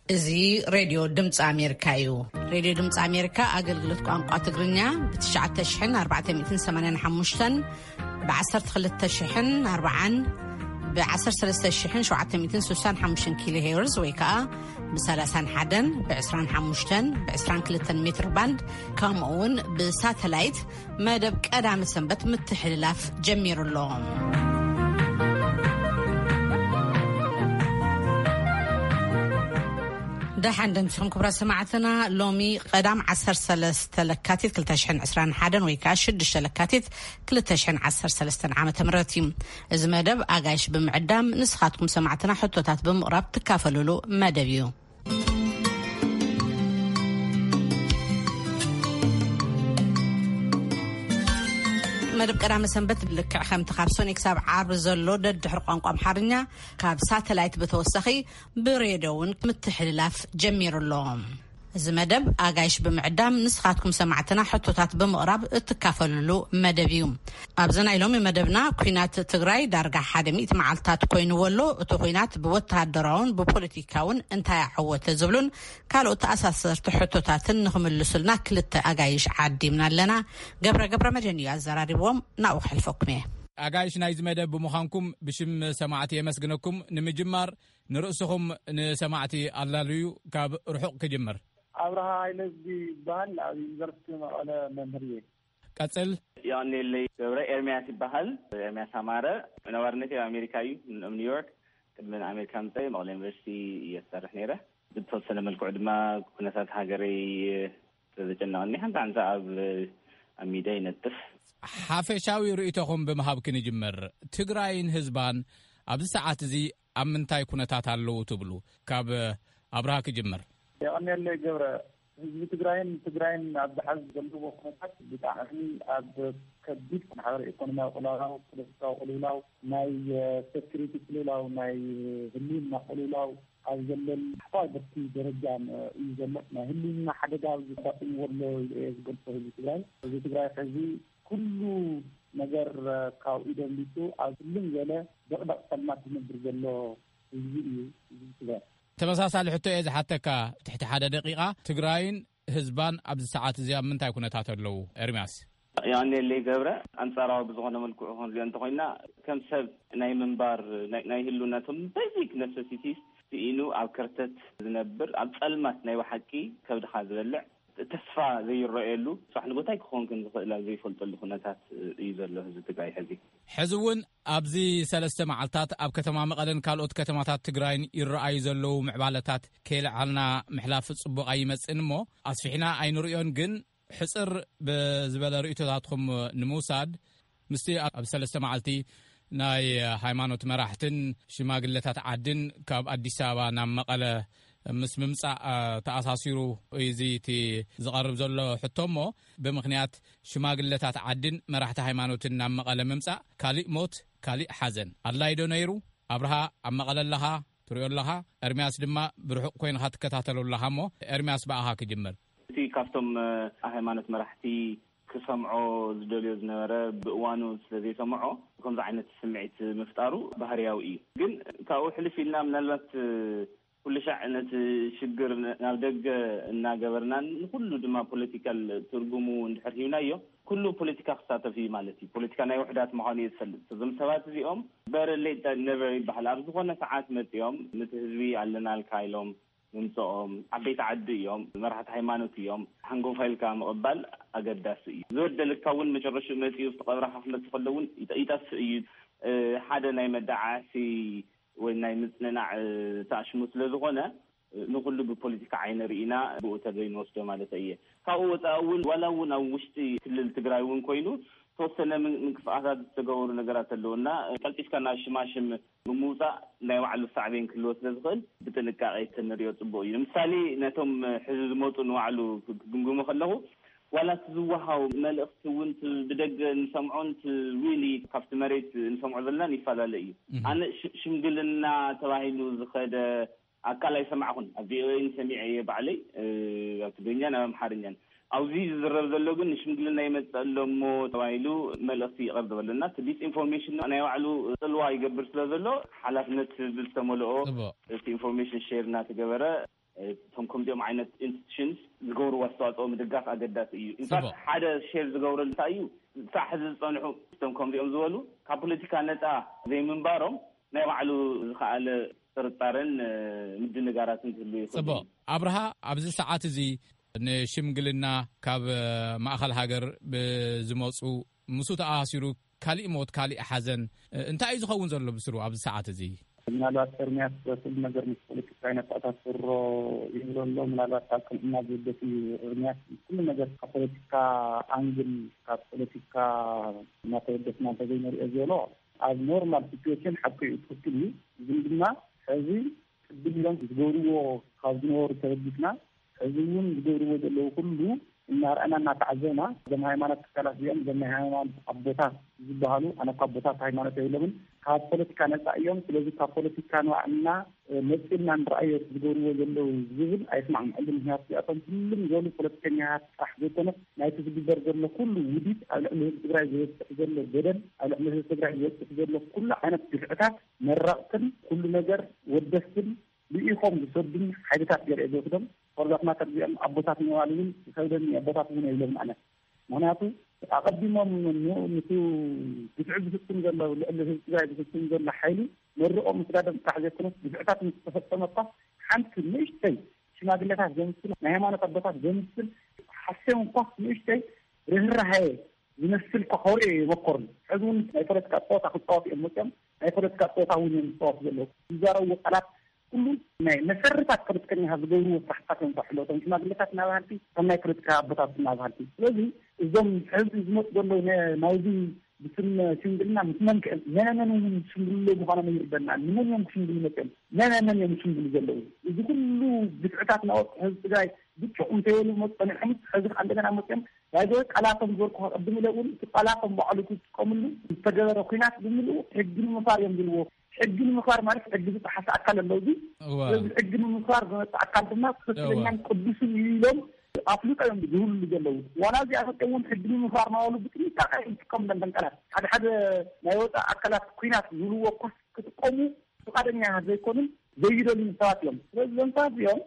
እዚ ሬድዮ ድምፂ ኣሜሪካ እዩ። ሬድዮ ድምፂ ኣሜሪካ ኣገልግሎት ቋንቋ ትግርኛ ብ ትሽዓተ ሽሕን ኣርባዕተ ሚእትን ሰማንያን ሓሙሽተን፣ ብ ዓሰርተ ክልተ ሽሕን ኣርባዓን፣ ብ ዓሰርተ ሰለስተ ሽሕን ሸውዓተ ሚእትን ስሳን ሓሙሽተን ኪሎ ሄርዝ ወይ ከዓ ብ ሰላሳን ሓደን፣ ብ ዕስራን ሓሙሽተን፣ ብ ዕስራን ክልተን ሜትር ባንድ፣ ከምኡ እውን ብሳተላይት መደብ ቀዳመ ሰንበት ምትሕልላፍ ጀሚሩ ኣሎ። ደሓን ደምሲኹም ክቡራት ሰማዕትና። ሎሚ ቀዳም ዓሰርተ ሰለስተ ለካቲት ክልተ ሽሕን ዕስራን ሓደን ወይ ከዓ ሽዱሽተ ለካቲት ክልተ ሽሕን ዓሰርተ ሰለስተን ዓመተ ምህረት እዩ። እዚ መደብ ኣጋይሽ ብምዕዳም ንስኻትኩም ሰማዕትና ሕቶታት ብምቕራብ ትካፈሉሉ መደብ እዩ። መደብ ቀዳመ ሰንበት ልክዕ ከምቲ ካብ ሶኒ ክሳብ ዓርቢ ዘሎ ደድሕሪ ቋንቋ ኣምሓርኛ ካብ ሳተላይት ብተወሳኺ ብሬድዮ እውን ምትሕልላፍ ጀሚሩ ኣሎ። እዚ መደብ ኣጋይሽ ብምዕዳም ንስኻትኩም ሰማዕትና ሕቶታት ብምቕራብ እትካፈሉሉ መደብ እዩ። ኣብዚ ናይ ሎሚ መደብና፣ ኲናት ትግራይ ዳርጋ ሓደ ሚእቲ መዓልታት ኮይንዎ ኣሎ። እቲ ኲናት ብወተሃደራውን ብፖለቲካውን እንታይ ኣዐወተ ዝብሉን ካልኦት ተኣሳሰርቲ ሕቶታትን ንኽምልሱልና ክልተ ኣጋይሽ ዓዲምና ኣለና። ገብረ ገብረ መድህን እዩ ኣዘራሪብዎም፣ ናብኡ ክሕልፈኩም እየ። ኣጋይሽ ናይዚ መደብ ብምዃንኩም ብሽም ሰማዕቲ የመስግነኩም። ንምጅማር ንርእስኹም ንሰማዕቲ ኣላልዩ፣ ካብ ርሑቕ ክጅምር። ኣብርሃ ሃይለ ይበሃል። ኣብ ዩኒቨርሲቲ መቐለ መምህር እየ። ቀጽል። ዮሐንኤለይ ገብረ ኤርምያስ ይበሃል። ኤርምያስ ኣማረ። ነባርነተይ ኣብ ኣሜሪካ እዩ፣ ኣብ ኒውዮርክ። ቅድሚ ንኣሜሪካ ምምፀይ መቐለ ዩኒቨርሲቲ እየ ዝሰርሕ ነይረ። ብዝተወሰነ መልክዑ ድማ ኩነታት ሃገረይ ስለዘጨነቐኒ ሓንቲ ሓንቲ ኣብ ኣብ ሚድያ ይነጥፍ። ሓፈሻዊ ርእይቶኹም ብምሃብ ክንጅምር። ትግራይን ህዝባን ኣብዚ ሰዓት እዚ ኣብ ምንታይ ኩነታት ኣለዉ ትብሉ? ካብ ኣብርሃ ክጅምር። የቐንየለይ ገብረ። ህዝቢ ትግራይን ትግራይን ኣብዚ ሐዚ ዘለዎ ኩነታት ብጣዕሚ ኣብ ከቢድ ማሕበረ ኢኮኖሚያዊ ቅልውላው፣ ፖለቲካዊ ቅልውላው፣ ናይ ሴኩሪቲ ቅልውላው፣ ናይ ህልውና ቅልውላው ኣብ ዘለሉ ታሕተዋይ ብርኪ ደረጃ እዩ ዘሎ። ናይ ህልውና ሓደጋ ዘጋጥምዎ ኣሎ ኢለ እየ ዝገልጾ ህዝቢ ትግራይ። ህዝቢ ትግራይ ሕዚ ኩሉ ነገር ካብ ኢዱ ኣምሊጡ ኣብ ህልም ዝበለ ደቕደቕ ጸልማት ዝነብር ዘሎ ህዝቢ እዩ ህዝቢ ትግራይ። ተመሳሳሊ ሕቶ እየ ዝሓተካ። ትሕቲ ሓደ ደቂቓ፣ ትግራይን ህዝባን ኣብዚ ሰዓት እዚ ኣብ ምንታይ ኩነታት ኣለዉ? ኤርምያስ። ዮሃንኤለይ ገብረ፣ ኣንጻራዊ ብዝኾነ መልክዑ ክንሪኦ እንተኾይና፣ ከም ሰብ ናይ ምንባር፣ ናይ፣ ናይ ህልውናቶም ቤዚክ ነሰሲቲስ ስኢኑ ኣብ ከርተት ዝነብር፣ ኣብ ጸልማት ናይ ብሓቂ ከብድኻ ዝበልዕ፣ ተስፋ ዘይረኣየሉ፣ ጽባሕ ንጎ እንታይ ክኸውን ከም ዝኽእል ኣብ ዘይፈልጠሉ ኩነታት እዩ ዘሎ ህዝቢ ትግራይ ሕዚ። ሕዚ እውን ኣብዚ ሰለስተ መዓልታት ኣብ ከተማ መቐለን ካልኦት ከተማታት ትግራይን ይረኣዩ ዘለዉ ምዕባለታት ከየልዓልና ምሕላፍ ጽቡቕ ኣይመጽእን እሞ፣ ኣስፊሕና ኣይንርእዮን። ግን ሕጽር ብዝበለ ርእይቶታትኩም ንምውሳድ፣ ምስቲ ኣብ ሰለስተ መዓልቲ ናይ ሃይማኖት መራሕትን ሽማግለታት ዓድን ካብ ኣዲስ ኣበባ ናብ መቐለ ምስ ምምጻእ፣ እ፣ ተኣሳሲሩ እዩ እዚ እቲ ዝቐርብ ዘሎ ሕቶ እሞ፣ ብምኽንያት ሽማግለታት ዓድን መራሕቲ ሃይማኖትን ናብ መቐለ ምምጻእ ካሊእ ሞት፣ ካሊእ ሓዘን ኣድላዪ ዶ ነይሩ? ኣብርሃ፣ ኣብ መቐለ ኣለኻ፣ ትሪኦ ኣለኻ። ኤርምያስ ድማ ብርሑቕ ኮይንኻ ትከታተሎ ኣለኻ እሞ፣ ኤርምያስ ብኣኻ ክጅምር። እቲ ካብቶም፣ እ፣ ሃይማኖት መራሕቲ ክሰምዖ ዝደልዮ ዝነበረ ብእዋኑ ስለ ዘይሰምዖ፣ ከምዚ ዓይነት ስምዒት ምፍጣሩ ባህርያዊ እዩ። ግን ካብኡ ሕልፍ ኢልና ምናልባት፣ እ፣ ኩሉ ሻዕ ነቲ ሽግር ን-፣ ናብ ደገ እናገበርናን ንኩሉ ድማ ፖለቲካል ትርጉሙ እንድሕር ሂብናዮ፣ ኩሉ ፖለቲካ ክሳተፍ እዩ ማለት እዩ። ፖለቲካ ናይ ውሕዳት ምዃኑ እየ ዝፈልጥ። እዞም ሰባት እዚኦም በረሌ ነበር ይበሃል። ኣብ ዝኾነ ሰዓት መጺኦም ነቲ ህዝቢ ኣለናልካ ኢሎም ምምጽኦም፣ ዓበይቲ ዓዲ እዮም፣ መራሕቲ ሃይማኖት እዮም፣ ሃንጎፋ ኢልካ ምቕባል ኣገዳሲ እዩ። ዝበደለካ እውን መጨረሽኡ መጺኡ ኣብቲ ቀብርኻ ክመጽእ ከሎ እውን ይጠ-፣ ይጠፍእ እዩ። እ፣ ሓደ ናይ መዳዓዓሲ ወይ ናይ ምጽንናዕ፣ እ፣ ተኣሽሙ ስለ ዝኾነ፣ እ፣ ንኹሉ ብፖለቲካ ዓይኒ ርኢና ብኡ ተገይ ንወስዶ ማለት እየ። ካብኡ ወጻኢ እውን ዋላ እውን ኣብ ውሽጢ ክልል ትግራይ እውን ኮይኑ ተወሰነ ምን-፣ ምንቅስቃሳት ዝተገበሩ ነገራት ኣለዉ እና፣ እ፣ ቀልጢፍካ ናብ ሽማሽም ብምውጻእ ናይ ባዕሉ ሳዕቤን ክህልዎ ስለ ዝኽእል ብጥንቃቄ ተንሪኦ ጽቡቅ እዩ። ንምሳሌ ነቶም ሕዚ ዝመጹ ንባዕሉ ክግምግሞ ከለኹ ዋላ እቲ ዝወሃው መልእኽቲ እውን እቲ ብደገ እንሰምዖን እቲ ሪሊ ካብቲ መሬት እንሰምዖ ዘለናን ይፈላለ እዩ። እህ። ኣነ ሽ-፣ ሽምግልና ተባሂሉ ዝኸደ ኣካል ኣይሰማዕኹን። ኣብ ቪኦኤ ሰሚዐ እየ ባዕለይ፣ እ፣ ኣብ ትግርኛን ኣብ ኣምሓርኛን። ኣብዚ ዝዝረብ ዘሎ ግን ንሽምግልና ይመጽእ ኣሎ እሞ ተባሂሉ መልእኽቲ ይቐርብ ኣሎ እና እቲ ዲስኢንፎርሜሽን ናይ ባዕሉ ጽልዋ ይገብር ስለ ዘሎ ሓላፍነት ዝተመልኦ ጽቡቕ። እቲ ኢንፎርሜሽን ሼር እናተገበረ እቶም ከምዚኦም ዓይነት ኢንስቲቱሽንስ ዝገብርዎ ኣስተዋፅኦ ምድጋፍ ኣገዳሲ እዩ። ኢንፋክት ሓደ ሼር ዝገብረሉ እንታይ እዩ? ክሳዕ ሕዚ ዝፀንሑ እቶም ከምዚኦም ዝበሉ ካብ ፖለቲካ ነፃ ዘይምንባሮም ናይ ባዕሉ ዝኸኣለ ጥርጣረን ምድንጋራትን ክህሉ ይኽእል። ፅቡቕ ኣብርሃ፣ ኣብዚ ሰዓት እዚ ንሽምግልና ካብ ማእኸል ሃገር ብዝመፁ፣ ምስኡ ተኣሳሲሩ ካሊእ ሞት፣ ካሊእ ሓዘን እንታይ እዩ ዝኸውን ዘሎ ብስሩ ኣብዚ ሰዓት እዚ? ምናልባት ኤርሚያስ በኩሉ ነገር ምስ ፖለቲካ ይነጣጣስሮ ይብሎ ኣሎ። ምናልባት ካብ ቅንዕና ዝውደት እዩ። ኤርሚያስ ኩሉ ነገር ካብ ፖለቲካ ኣንግል፣ ካብ ፖለቲካ እናተወደስና እንተዘይንሪኦ ዝበሎ፣ ኣብ ኖርማል ሲቹዌሽን ሓቂ እዩ፣ ትክክል እዩ። ግን ድማ ሕዚ ቅድም ኢሎም ዝገብርዎ ካብ ዝነበሩ ተበጊስና፣ ሕዚ እውን ዝገብርዎ ዘለዉ ኩሉ እናረኣና እናተዓዘብና፣ እዞም ሃይማኖት ትካላት እዚኦም፣ እዞም ናይ ሃይማኖት ኣቦታት ዝበሃሉ፣ ኣነ እኳ ኣቦታት ሃይማኖት የብሎምን፣ ካብ ፖለቲካ ነፃ እዮም። ስለዚ ካብ ፖለቲካ ንባዕልና መፂልና ንረኣዮ ዝገብርዎ ዘለዉ ዝብል ኣይስማዕምዐሉ። ምክንያቱ እዚኣቶም ኩሉም ዝበሉ ፖለቲከኛታት ጥራሕ ዘይኮነስ ናይቲ ዝግበር ዘሎ ኩሉ ውዲት፣ ኣብ ልዕሊ ህዝቢ ትግራይ ዝበፅሕ ዘሎ በደል፣ ኣብ ልዕሊ ህዝቢ ትግራይ ዝበፅሕ ዘሎ ኩሉ ዓይነት ግፍዕታት መረቕትን ኩሉ ነገር ወደስትን ልኢኾም ዝሰዱን ሓይልታት ገለ እየ ዝወስዶም። ፎርዛት ማተር እዚኦም ኣቦታት ምባል እውን ይኸብደኒ፣ ኣቦታት እውን የብሎም ኣነ። ምክንያቱ ኣቐዲሞም ን-፣ ንሱ ግፍዒ ዝፍፅም ዘሎ፣ ልዕሊ ህዝቢ ትግራይ ዝፍፅም ዘሎ ሓይሊ መርቆም ምስዳዶም ጥራሕ ዘይኮነስ፣ ግፍዕታት ምስ ተፈፀመ እኳ ሓንቲ ንእሽተይ ሽማግለታት ዘምስል፣ ናይ ሃይማኖት ኣቦታት ዘምስል ሓስዮም እኳ ንእሽተይ ርህራሄ ዝመስል እኳ ከውርዮ ይመኮርሉ። ሕዚ እውን ናይ ፖለቲካ ፀወታ ክፃወቱ እዮም መፅኦም። ናይ ፖለቲካ ፀወታ እውን እዮም ዝፃወቱ ዘለዉ። ዝዛረብዎ ቃላት ኩሉ ናይ መሰርታት ፖለቲከኛታት ዝገብርዎ ስራሕታት እዮም ዝሰርሕሉ። እቶም ሽማግለታት እናበሃልቲ፣ ከም ናይ ፖለቲካ ኣቦታት እናበሃልቲ። ስለዚ እዞም ሕዚ ዝመፁ ዘለዉ ነ-፣ ናብዚ ብስም ሽምግልና ምስ መን ክእል? መነ መን እውን ዝሽምግሉ ምዃኖም ይርደና። ንመን እዮም ክሽምግሉ መፅኦም? መነ መን እዮም ዝሽምግሉ ዘለዉ? እዚ ኩሉ ግፍዕታት እናወፅሑ ህዝቢ ትግራይ ብጭቑ እንተይበሉ መ-፣ ፀኒሖምስ፣ ሕዚ ከዓ እንደገና መፅኦም ባይዘ ቃላቶም ዝበልኩ ቅድም ኢለ እውን እቲ ቃላቶም ባዕሉ ክጥቀምሉ ዝተገበረ ኲናት ብምልኡ ሕጊ ንምኽባር እዮም ዝብልዎ። ሕጊ ንምኽባር ማለት ሕጊ ዝጠሓሰ ኣካል ኣሎ። እዚ እወ። ስለዚ ሕጊ ንምኽባር ዝመፅእ ኣካል ድማ እወ። ትኽክለኛን ቅዱስን እዩ ኢሎም ኣፍልጦ እዮም ዝህብሉ ዘለዉ። ዋላ እዚኣ እውን ሕጊ ንምኽባር እናበሉ ብጥንቃቄ እዮም ዝጥቀሙ። ደንደን ቃላት ሓደ ሓደ ናይ ወፃኢ ኣካላት ኲናት ዝብልዎ እኳ ክጥቀሙ ፍቓደኛ ዘይኮኑን ዘይደልዩን ሰባት እዮም። ስለዚ እዞም ሰባት እዚኦም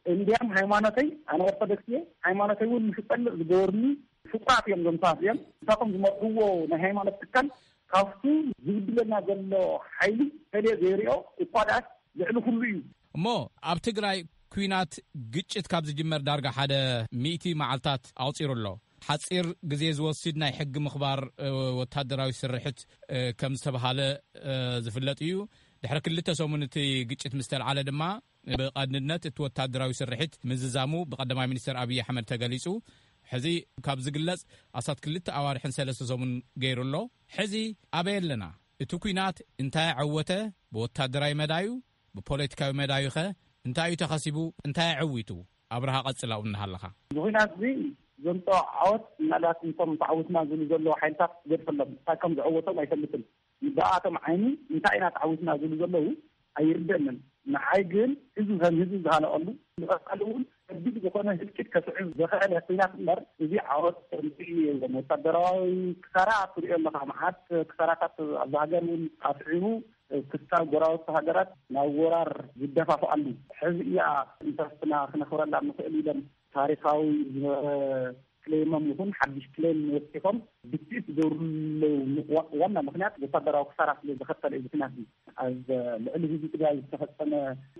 እንዲያም ሃይማኖተይ፣ ኣነ ኦርቶዶክስ እየ፣ ሃይማኖተይ እውን ንክጸልእ ዝገበሩኒ ፍጡራት እዮም እዞም ሰባት እዚኦም። ንሳቶም ዝመርሕዎ ናይ ሃይማኖት ትካል ካብቱ ዝብድለና ዘሎ ሓይሊ ፈልዮ ዘይሪኦ እኳ ደኣስ ልዕሊ ኩሉ እዩ። እሞ ኣብ ትግራይ ኲናት፣ ግጭት ካብ ዝጅመር ዳርጋ ሓደ ሚእቲ መዓልታት ኣቑጺሩ ኣሎ። ሓጺር ግዜ ዝወስድ ናይ ሕጊ ምኽባር፣ እ፣ ወታደራዊ ስርሕት፣ እ፣ ከም ዝተብሃለ፣ እ፣ ዝፍለጥ እዩ። ድሕሪ ክልተ ሰሙን እቲ ግጭት ምስ ተልዓለ ድማ ብቐንድነት እቲ ወታደራዊ ስርሒት ምዝዛሙ ብቀዳማይ ሚኒስትር ኣብይ ኣሕመድ ተገሊጹ። ሕዚ ካብ ዝግለጽ ኣስታት ክልተ ኣዋርሕን ሰለስተ ሰሙን ገይሩ ኣሎ። ሕዚ ኣበይ ኣለና? እቲ ኲናት እንታይ ኣዐወተ? ብወታደራዊ መዳዩ፣ ብፖለቲካዊ መዳዩኸ እንታይ እዩ ተኸሲቡ? እንታይ ኣዐዊቱ? ኣብርሃ፣ ቀጽል ኣብኡ እናሃለኻ። እዚ ኲናት እዚ ዘምፅኦ ዓወት ምናልባት ንቶም ተዓዊትና ዝብሉ ዘለዉ ሓይልታት ገድፈሎም፣ እንታይ ከም ዘዐወቶም ኣይፈልጥን። ብኣቶም ዓይኒ እንታይ ኢና ተዓዊትና ዝብሉ ዘለዉ ኣይርደንን። ንዓይ ግን ህዝቢ ከም ህዝቢ ዝሃለቐሉ፣ ንቐፃሊ እውን ከቢድ ዝኾነ ህልቂት ከስዕብ ዘኽኣለ ኲናት እምበር፣ እዚ ዓወት ከምዚ የለን። ወታደራዊ ክሳራ ትሪኦ ኣለኻ፣ መዓት ክሳራታት ኣብዚ ሃገር እውን ኣስዒቡ፣ ክሳብ ጎረባብቲ ሃገራት ናብ ወራር ዝደፋፍኣሉ። ሕዚ እያ ኢንተረስትና ክነኽብረላ ንኽእል ኢሎም ታሪኻዊ ዝነበረ ክሌሞም ይኹን ሓድሽ ክሌም ወሲኾም ብትኢት ዝገብርሉ ዋ-፣ ዋና ምኽንያት ወታደራዊ ክሳራ ስለ ዘኸተለ እዩ። ምኽንያት እዩ። ኣብ ልዕሊ ህዝቢ ትግራይ ዝተፈጸመ፣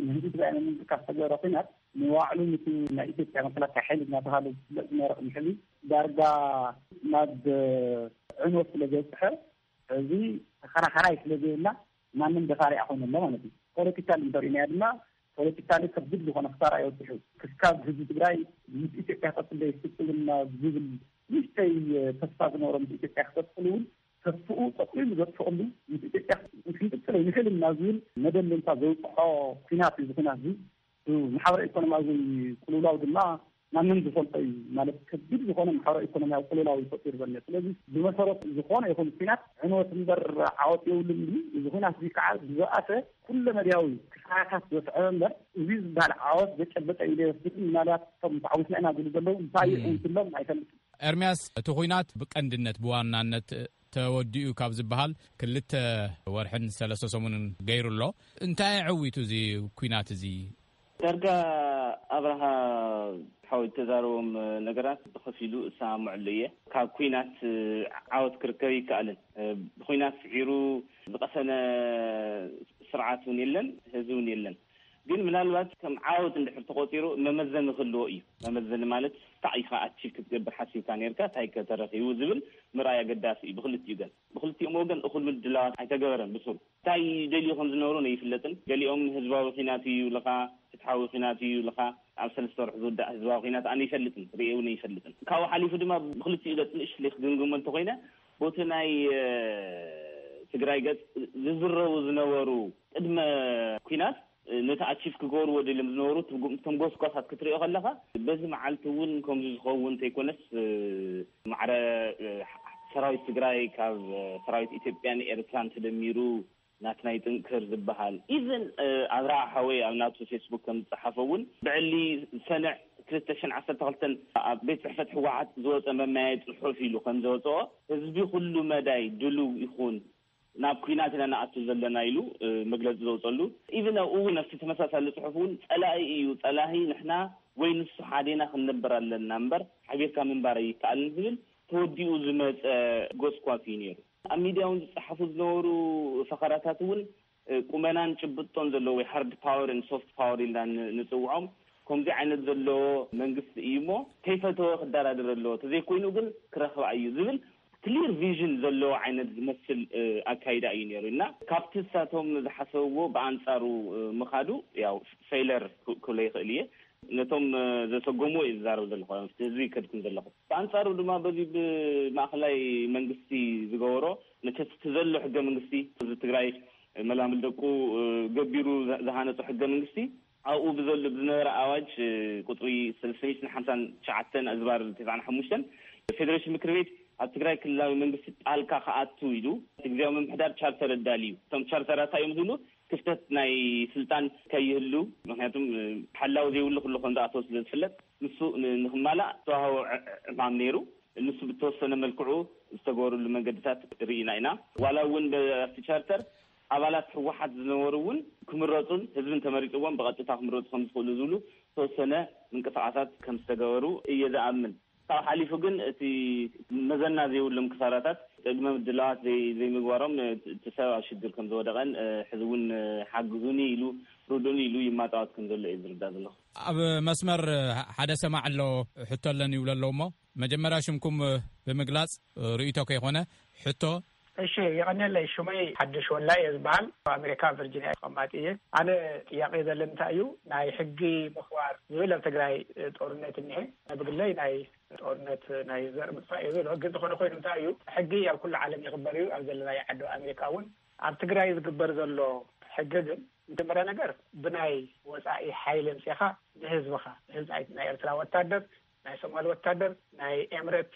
ንህዝቢ ትግራይ ንምንቅስቃስ ዝተገበረ ኲናት ንባዕሉ ምስ ናይ ኢትዮጵያ መከላከያ ሓይሊ እናተባሃለ ዝፍለጥ ዝነበረ ቅድሚ ሕዚ ዳርጋ ናብ ዕንወት ስለ ዘብፅሐ፣ እዚ ተኸራኸራይ ስለ ዘይብላ ማንም ደፋሪ ኣይኮነ ኣሎ ማለት እዩ። ፖለቲካል እንተሪእናዮ ድማ ፖለቲካሊ ከቢድ ዝኾነ ክሳራ የብፅሑ። ክስካብ ህዝቢ ትግራይ ምስ ኢትዮጵያ ቀፅሎ ይፍፅምና ዝብል ንእሽተይ ተስፋ ዝነበሮም ምስ ኢትዮጵያ ክቀፅሉ እውን ተስፍኡ ጠቕሊሉ ዘጥፍኦሉ ምስ ኢትዮጵያ ክንቅፅል ኣይንኽእልን ናብ ዝብል መደምደምታ ዘውፅሖ ኲናት እዩ። እዚ ኲናት እዚ ማሕበረ ኢኮኖሚያዊ ቅልውላው ድማ ማንም ዝፈልጦ እዩ። ማለት ከቢድ ዝኾነ ማሕበረ ኢኮኖሚያዊ ቅልውላው እዩ ፈጢሩ ዘሎ። ስለዚ ብመሰረቱ ዝኾነ ይኹን ኲናት ዕንወት እምበር ዓወት የብሉን እዩ። እዚ ኲናት እዚ ከዓ ዝበኣሰ ኩለመዳያዊ ክሳራታት ዘስዐበ እምበር እዚ ዝበሃል ዓወት ዘጨበጠ ኢለ ይወስድ። ምናልባት እቶም ተዓዊትና ኢና ዝብሉ ዘለዉ እንታይ እዩ ዕንወትሎም ኣይፈልጥን። ኤርምያስ፣ እቲ ኲናት ብቀንድነት ብዋናነት ተወዲኡ ካብ ዝበሃል ክልተ ወርሕን ሰለስተ ሰሙንን ገይሩ ኣሎ። እንታይ ኣዐዊቱ እዚ ኲናት እዚ? ዳርጋ ኣብርሃ ሓወይ፣ ተዛረቦም ነገራት ብኸፊሉ እሰማምዐሉ እየ። ካብ ኲናት ዓወት ክርከብ ይከኣልን፣ ብኲናት ስዒሩ ዝቐሰነ ስርዓት እውን የለን፣ ህዝቢ እውን የለን። ግን ምናልባት ከም ዓወት እንድሕር ተቖፂሩ መመዘኒ ክህልዎ እዩ። መመዘኒ ማለት እንታይ ኢኻ ኣቺቭ ክትገብር ሓሲብካ ነርካ፣ እንታይ ከ ተረኺቡ ዝብል ምርኣይ ኣገዳሲ እዩ። ብክልቲኡ ገን ብክልቲኦም ወገን እኹል ምድላዋት ኣይተገበረን። ብሱሩ እንታይ ደልዩ ከም ዝነበሩ ነይፍለጥን፣ ገሊኦም ህዝባዊ ኲናት እዩ ይብልኻ፣ ፍትሓዊ ኲናት እዩ ይብልኻ። ኣብ ሰለስተ ወርሒ ዝውዳእ ህዝባዊ ኲናት ኣነ ይፈልጥን ርእየ እውን ይፈልጥን። ካብኡ ሓሊፉ ድማ ብክልቲኡ ገጽ ንእሽተይ ክግምግሞ እንተኾይነ፣ ቦቲ ናይ ትግራይ ገጽ ዝዝረቡ ዝነበሩ ቅድመ ኲናት ነቲ ኣቺቭ ክገብርዎ ደልዮም ዝነበሩ ትርጉም እቶም ጎስጓሳት ክትሪኦ ከለኻ፣ በዚ መዓልቲ እውን ከምዚ ዝኸውን እንተይኮነስ ማዕረ ሰራዊት ትግራይ ካብ ሰራዊት ኢትዮጵያን ኤርትራን ተደሚሩ ናትናይ ጥንክር ዝበሃል፣ ኢቨን ኣብርሃ ሓወይ ኣብ ናቱ ፌስቡክ ከም ዝጸሓፈ እውን ብዕሊ ሰንዕ ክልተ ሽሕን ዓሰርተ ክልተን ኣብ ቤት ጽሕፈት ህወሓት ዝወጸ መመያየ ጽሑፍ ኢሉ ከም ዘወጸኦ፣ ህዝቢ ኩሉ መዳይ ድሉው ይኹን፣ ናብ ኲናት ኢና ንኣቱ ዘለና ኢሉ መግለጺ ዘውጸሉ። ኢቭን ኣብኡ እውን ኣብቲ ተመሳሳሊ ጽሑፍ እውን ጸላኢ እዩ፣ ጸላኢ ንሕና ወይ ንሱ ሓዴና ክንነብር ኣለና እምበር ሓቢርካ ምንባር ኣይከኣልን ዝብል ተወዲኡ ዝመጸ ጎስኳስ እዩ ነይሩ። ኣብ ሚድያ እውን ዝጸሓፉ ዝነበሩ ፈኸራታት እውን ቁመናን ጭብጦን ዘለዎ ወይ ሃርድ ፓወርን ሶፍት ፓወር ኢልና ንጽውዖም፣ ከምዚ ዓይነት ዘለዎ መንግስቲ እዩ እሞ ከይፈተወ ክደራደር ኣለዎ፣ ተዘይኮይኑ ግን ክረኽባ እዩ ዝብል ክሊር ቪዥን ዘለዎ ዓይነት ዝመስል ኣካይዳ እዩ ነይሩ። እና ካብቲ እሳቶም ዝሓሰብዎ ብኣንጻሩ ምኻዱ ያው ፌለር ክብሎ ይኽእል እየ። ነቶም ዘሰጎምዎ እዩ ዝዛረብ ዘለኹ፣ ህዝቢ ከድኩም ዘለኹ። ብኣንጻሩ ድማ በዚ ብማእኸላይ መንግስቲ ዝገበሮ፣ መቸስ እቲ ዘሎ ሕገ መንግስቲ፣ ህዝቢ ትግራይ መላምል ደቁ ገቢሩ ዝሃነጾ ሕገ መንግስቲ፣ ኣብኡ ብዘሎ ብዝነበረ ኣዋጅ ቁጽሪ ሰለስተ ሚእትን ሓምሳን ትሽዓተን ኣዝባር ተስዓን ሓሙሽተን፣ ፌደሬሽን ምክር ቤት ኣብ ትግራይ ክልላዊ መንግስቲ ጣልካ ክኣቱ ኢሉ እቲ ግዜያዊ ምምሕዳር ቻርተር ኣዳልዩ። እቶም ቻርተራት እንታይ እዮም ዝብሉ? ክፍተት ናይ ስልጣን ከይህሉ፣ ምክንያቱም ሓላው ዘይብሉ ኩሉ ከም ዝኣተወ ስለ ዝፍለጥ፣ ንሱ ንክማላእ ዝተዋህቦ ዕማም ነይሩ። ንሱ ብተወሰነ መልክዑ ዝተገበሩሉ መንገድታት ርኢና ኢና። ዋላ እውን ኣብቲ ቻርተር ኣባላት ህወሓት ዝነበሩ እውን ክምረፁን ህዝብን ተመሪፅዎም ብቐጥታ ክምረፁ ከም ዝኽእሉ ዝብሉ ዝተወሰነ ምንቅስቃሳት ከም ዝተገበሩ እየ ዝኣምን። ካብ ሓሊፉ ግን እቲ መዘና ዘይብሎም ክሳራታት ቅድመ ምድላዋት ዘይምግባሮም እቲ ሰብ ኣብ ሽግር ከም ዝወደቐን ሕዚ እውን ሓግዙኒ ኢሉ ርዱኒ ኢሉ ይማጣወት ከም ዘሎ እዩ ዝርዳእ ዘለኹ። ኣብ መስመር ሓደ ሰማዕ ኣሎ፣ ሕቶ ኣለኒ ይብሎ ኣለዉ እሞ መጀመርያ ሽምኩም ብምግላጽ ርእይቶ ከይኮነ ሕቶ። እሺ፣ የቐንየለይ። ሽመይ ሓድሽ ወላይ እየ ዝበሃል። ኣብ ኣሜሪካ ቨርጂኒያ ተቐማጢ እየ። ኣነ ጥያቄ ዘለኒ እንታይ እዩ፣ ናይ ሕጊ ምኽባር ዝብል ኣብ ትግራይ ጦርነት እኒሄ። ብግለይ ናይ ጦርነት ናይ ዘር ምጥፋእ እየ ዝብሎ። ግን ዝኾነ ኮይኑ እንታይ እዩ፣ ሕጊ ኣብ ኩሉ ዓለም ይኽበር እዩ። ኣብ ዘለናይ ዓዲ ኣሜሪካ እውን ኣብ ትግራይ ዝግበር ዘሎ ሕጊ ግን መጀመርያ ነገር ብናይ ወፃኢ ሓይሊ ኣምፂኻ ንህዝብኻ፣ ህዝቢ ናይ ኤርትራ ወታደር፣ ናይ ሶማል ወታደር፣ ናይ ኤምረት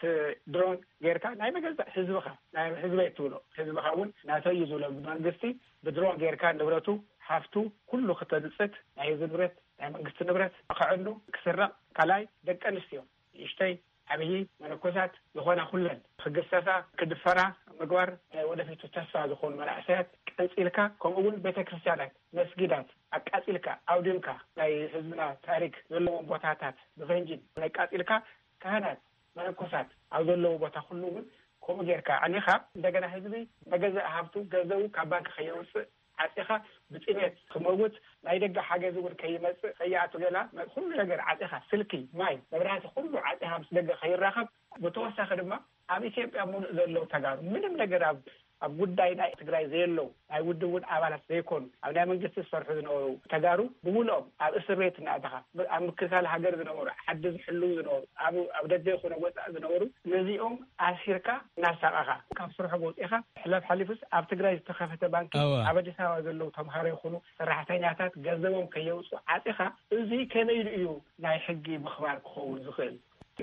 ድሮን ጌርካ ናይ መገዛእ ህዝብኻ፣ ናይ ህዝበይ ትብሎ፣ ህዝብኻ እውን ናተይ እዩ ዝብሎ መንግስቲ ብድሮን ጌርካ ንብረቱ፣ ሃፍቱ ኩሉ ክተንፅት፣ ናይ ህዝቢ ንብረት፣ ናይ መንግስቲ ንብረት ክዕኑ፣ ክስረቕ፣ ካልኣይ ደቂ ኣንስትዮ ንእሽተይ ዓብዪ መነኮሳት ዝኾና ኩለን ክግሰሳ ክድፈራ ምግባር ናይ ወደፊቱ ተስፋ ዝኾኑ መናእሰያት ቀንፂልካ፣ ከምኡ እውን ቤተ ክርስቲያናት መስጊዳት ኣቃፂልካ ኣውዲምካ ናይ ህዝብና ታሪክ ዘለዎም ቦታታት ብፈንጂ ናይ ቃፂልካ ካህናት መነኮሳት ኣብ ዘለዎ ቦታ ኩሉ እውን ከምኡ ጌርካ ኣዕኒኻ እንደገና ህዝቢ መገዛእ ሃብቱ ገንዘቡ ካብ ባንክ ከየውፅእ ዓፂኻ ብጥሜት ክመውት ናይ ደገ ሓገዝ እውን ከይመፅእ ከይኣቱ ገላ ኩሉ ነገር ዓፂኻ ስልኪ ማይ መብራህቲ ኩሉ ዓፂኻ ምስ ደገ ከይራኸብ ብተወሳኺ ድማ ኣብ ኢትዮጵያ ሙሉእ ዘለዉ ተጋሩ ምንም ነገር ኣብ ኣብ ጉዳይ ናይ ትግራይ ዘየለዉ ናይ ውድብ እውን ኣባላት ዘይኮኑ ኣብ ናይ መንግስቲ ዝሰርሑ ዝነበሩ ተጋሩ ብምሉኦም ኣብ እስር ቤት እናእተኻ ኣብ ምክልካል ሃገር ዝነበሩ ዓዲ ዝሕልዉ ዝነበሩ ኣብ ደገ ይኹን ወፃኢ ዝነበሩ ነዚኦም ኣሲርካ እናሳቐኻ ካብ ስርሖም ወፂእኻ ሕላፍ ሓሊፉስ ኣብ ትግራይ ዝተኸፈተ ባንኪ ኣብ ኣዲስ ኣበባ ዘለዉ ተምሃሮ ይኹኑ ሰራሕተኛታት ገንዘቦም ከየውፅኡ ዓፂኻ እዚ ከመይ ኢሉ እዩ ናይ ሕጊ ምኽባር ክኸውን ዝኽእል?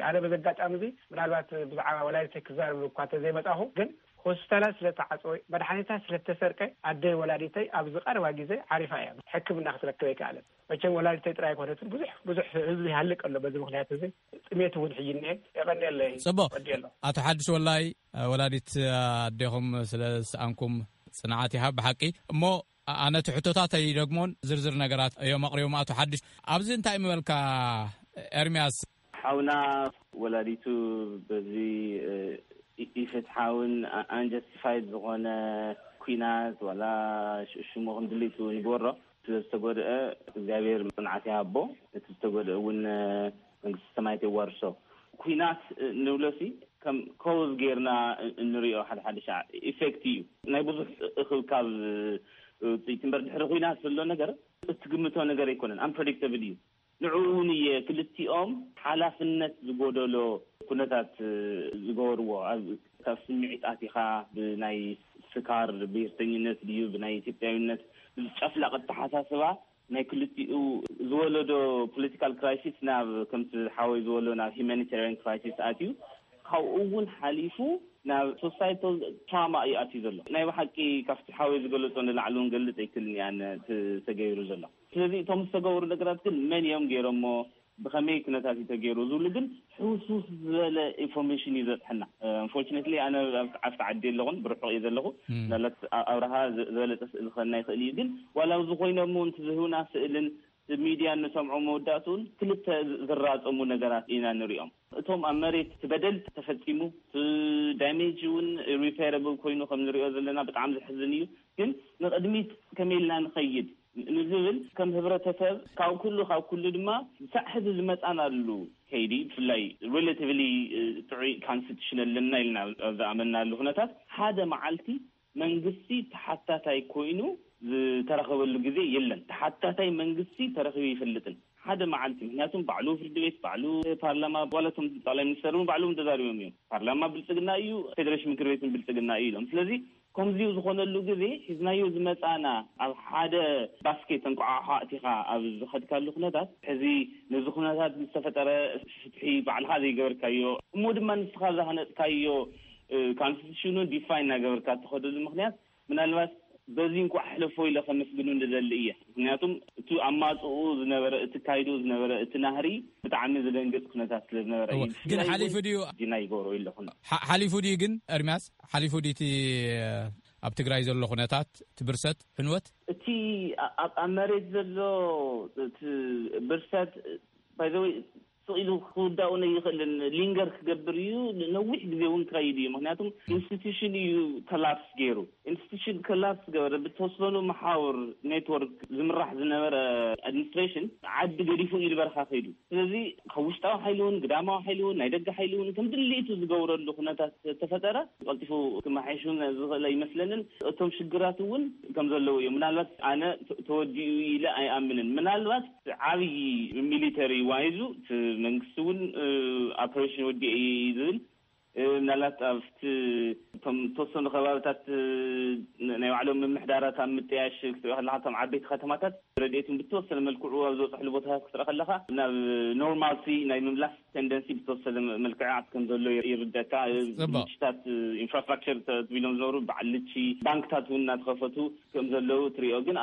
ኣነ በዚ ኣጋጣሚ እዚ ምናልባት ብዛዕባ ወላዲተይ ክዛረብ እኳ እንተዘይመጻኹ ግን ሆስፒታላት ስለተዓፀወ መድሓኒታት ስለተሰርቀ ኣደይ ወላዲተይ ኣብዚ ቀረባ ግዜ ዓሪፋ እያ ሕክምና ክትረክብ ኣይከኣለን። መቸም ወላዲተይ ጥራይ ኣይኮነትን ብዙሕ ብዙሕ ህዝቢ ይሃልቅ ኣሎ በዚ ምክንያት እዚ ጥሜት እውን ሕጂ እኒሀ። የቐንየለይ። ፅቡቕ። ወዲ ኣሎ። ኣቶ ሓድሽ ወላይ ወላዲት ኣዴኹም ስለ ዝሰኣንኩም ፅንዓት ይሃብ ብሓቂ። እሞ ኣነ እቲ ሕቶታት ኣይደግሞን፣ ዝርዝር ነገራት እዮም ኣቕሪቦም ኣቶ ሓድሽ። ኣብዚ እንታይ ምበልካ ኤርምያስ? ሓውና ወላዲቱ በዚ ኢፍትሓውን ኣንጀስቲፋይድ ዝኾነ ኲናት ዋላ ሽሙ ክንድልይቱ ንግበሮ ስለ ዝተጎድአ እግዚኣብሔር ጽንዓት ይሃቦ። እቲ ዝተጎድአ እውን መንግስቲ ሰማያት የዋርሶ። ኲናት ንብሎሲ ከም ኮዝ ጌርና እንሪኦ ሓደ ሓደ ሻዕ ኢፌክት እዩ። ናይ ብዙሕ እኽብካብ ውፅኢት እምበር ድሕሪ ኲናት ዘሎ ነገር እትግምቶ ነገር ኣይኮነን። ኣምፕረዲክተብል እዩ። ንዕኡ እውን እየ ክልቲኦም ሓላፍነት ዝጎደሎ ኩነታት ዝገበርዎ። ካብ ስምዒት ኣቲኻ ብናይ ስካር ብሄርተኝነት ድዩ ብናይ ኢትዮጵያዊነት ብዝጨፍላቕ ኣተሓሳስባ ናይ ክልቲኡ ዝወለዶ ፖለቲካል ክራይሲስ ናብ ከምቲ ሓወይ ዝበሎ ናብ ሂማኒታሪያን ክራይሲስ ኣትዩ ካብኡ እውን ሓሊፉ ናብ ሶሳይታል ትራማ እዩ ኣትዩ ዘሎ። ናይ ብሓቂ ካብቲ ሓወይ ዝገለጾ ንላዕሊ እውን ገልጽ ኣይክልን እያን ተገይሩ ዘሎ። ስለዚ እቶም ዝተገበሩ ነገራት ግን መን እዮም ገይሮሞ ብኸመይ ኩነታት እዩ ተገይሩ ዝብሉ ግን ሕውስውስ ዝበለ ኢንፎርሜሽን እዩ ዘብሐና። ኣንፎርችነትሊ ኣነ ኣብቲ ዓዲ ኣለኹን ብርሑቕ እየ ዘለኹ። ላለት ኣብርሃ ዝበለፀ ስእሊ ክኸና ይኽእል እዩ ግን ዋላ ዝኾይኖም እውን ዝህቡና ስእልን ሚድያ እንሰምዖ መወዳእትኡን ክልተ ዝራፀሙ ነገራት ኢና ንሪኦም። እቶም ኣብ መሬት እቲ በደል ተፈፂሙ እቲ ዳሜጅ እውን ሪፔረብል ኮይኑ ከም ንሪኦ ዘለና ብጣዕሚ ዘሕዝን እዩ። ግን ንቕድሚት ከመይ ኢልና ንኸይድ ንዝብል ከም ህብረተሰብ ካብ ኩሉ ካብ ኩሉ ድማ ሳዕ ሕዚ ዝመፃናሉ ከይዲ ብፍላይ ሪላቲቭሊ ጥዑይ ካንስቲቱሽን ኣለና ኢልና ኣብ ዝኣመናሉ ኩነታት ሓደ መዓልቲ መንግስቲ ተሓታታይ ኮይኑ ዝተረኸበሉ ግዜ የለን። ተሓታታይ መንግስቲ ተረኺቡ ይፈልጥን ሓደ መዓልቲ ምክንያቱም ባዕሉ ፍርዲ ቤት ባዕሉ ፓርላማ ባለቶም ጠቅላይ ሚኒስተር እውን ባዕሎም ተዛሪቦም እዮም። ፓርላማ ብልፅግና እዩ፣ ፌዴሬሽን ምክር ቤትን ብልፅግና እዩ ኢሎም። ስለዚ ከምዚኡ ዝኾነሉ ግዜ ሒዝናዮ ዝመፃና ኣብ ሓደ ባስኬት እንቋዓሖ ኣእቲኻ ኣብ ዝኸድካሉ ኩነታት ሕዚ ነዚ ኩነታት ዝተፈጠረ ፍትሒ ባዕልኻ ዘይገበርካዮ እሞ ድማ ንስኻ ዝሃነፅካዮ ካንስቲቱሽኑ ዲፋይን እናገበርካ እትኸደሉ ምክንያት ምናልባት በዚ እንኳዕ ሕለፎ ኢለ ከመስግኑ ንደሊ እየ። ምክንያቱም እቲ ኣማፅኡ ዝነበረ እቲ ካይዱ ዝነበረ እቲ ናህሪ ብጣዕሚ ዝደንግፅ ኩነታት ስለ ዝነበረ እዩ። ግን ሓሊፉ ድዩ ዲና ይገብሮ ኣለኹ። ሓሊፉ ድዩ ግን ኤርሚያስ ሓሊፉ ድዩ እቲ ኣብ ትግራይ ዘሎ ኩነታት ትብርሰት ዕንወት? እቲ ኣብ መሬት ዘሎ ብርሰት ባይዘወይ ስቕ ኢሉ ክውዳኡ ነይኽእልን ሊንገር ክገብር እዩ። ነዊሕ ግዜ እውን ክኸይድ እዩ። ምክንያቱም ኢንስቲቱሽን እዩ ኮላፕስ ገይሩ። ኢንስቲቱሽን ኮላፕስ ገበረ ብተወሰኑ መሓውር ኔትወርክ ዝምራሕ ዝነበረ ኣድሚኒስትሬሽን ዓዲ ገዲፉ እዩ ዝበርኻ ከይዱ። ስለዚ ካብ ውሽጣዊ ሓይሊ እውን ግዳማዊ ሓይሊ እውን ናይ ደገ ሓይሊ እውን ከም ድሌቱ ዝገብረሉ ኩነታት ተፈጠረ ቀልጢፉ ክመሓየሽ እውን ዝኽእለ ይመስለንን እቶም ሽግራት እውን ከም ዘለዉ እዮም። ምናልባት ኣነ ተወዲኡ ኢለ ኣይኣምንን። ምናልባት ዓብዪ ሚሊተሪ ዋይዙ እቲ መንግስቲ እውን ኦፐሬሽን ወዲኤ እዩ ዝብል ምናልባት ኣብቲ እቶም ተወሰኑ ከባብታት ናይ ባዕሎም ምምሕዳራት ኣብ ምጥያሽ ክትሪኦ ከለካ እቶም ዓበይቲ ከተማታት ረድኤትን ብተወሰነ መልክዑ ኣብ ዝበፅሕሉ ቦታታት ክትርኢ ከለካ ናብ ኖርማልሲ ናይ ምምላስ ቴንደንሲ ብተወሰነ መልክዓት ከም ዘሎ ይርደካ። ምሽታት ኢንፍራስትራክቸር ትቢሎም ዝነበሩ በዓል ልቺ ባንክታት እውን እናተኸፈቱ ከም ዘለዉ ትሪኦ። ግን